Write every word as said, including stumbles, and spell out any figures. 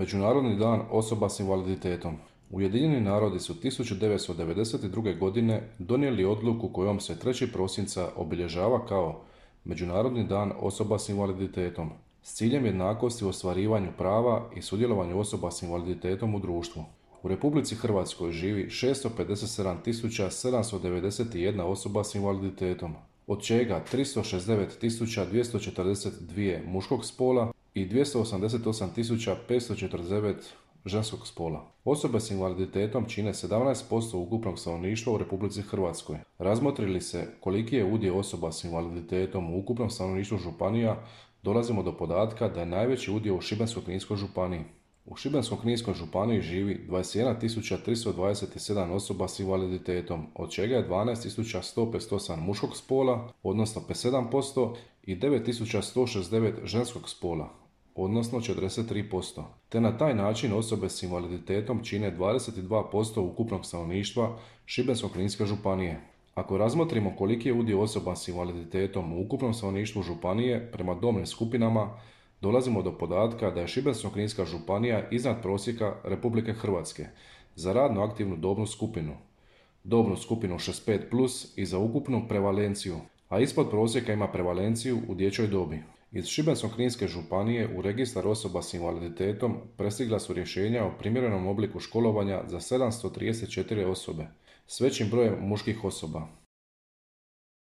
Međunarodni dan osoba s invaliditetom. Ujedinjeni narodi su tisuću devetsto devedeset druge. godine donijeli odluku kojom se trećeg prosinca obilježava kao Međunarodni dan osoba s invaliditetom s ciljem jednakosti u ostvarivanju prava i sudjelovanju osoba s invaliditetom u društvu. U Republici Hrvatskoj živi šesto pedeset sedam tisuća sedamsto devedeset jedna osoba s invaliditetom, od čega tristo šezdeset devet tisuća dvjesto četrdeset dva muškog spola i dvjesto osamdeset osam tisuća petsto četrdeset devet ženskog spola. Osobe s invaliditetom čine sedamnaest posto ukupnog stanovništva u Republici Hrvatskoj. Razmotri li se koliki je udio osoba s invaliditetom u ukupnom stanovništvu županija, dolazimo do podatka da je najveći udio u Šibensko-kninskoj županiji. U Šibensko-kninskoj županiji živi dvadeset jedna tisuća tristo dvadeset sedam osoba s invaliditetom, od čega je dvanaest tisuća sto pedeset osam muškog spola, odnosno pedeset sedam posto, i devet tisuća sto šezdeset devet ženskog spola, odnosno četrdeset tri posto. Te na taj način osobe s invaliditetom čine dvadeset dva posto ukupnog stanovništva Šibensko-kninske županije. Ako razmotrimo koliki je udio osoba s invaliditetom u ukupnom stanovništvu županije prema dobnim skupinama, dolazimo do podatka da je Šibensko-kninska županija iznad prosjeka Republike Hrvatske za radno aktivnu dobnu skupinu, dobnu skupinu šezdeset pet plus i za ukupnu prevalenciju, a ispod prosjeka ima prevalenciju u dječjoj dobi. Iz Šibensko-kninske županije u registar osoba s invaliditetom prestigla su rješenja o primjerenom obliku školovanja za sedamsto trideset četiri osobe s većim brojem muških osoba.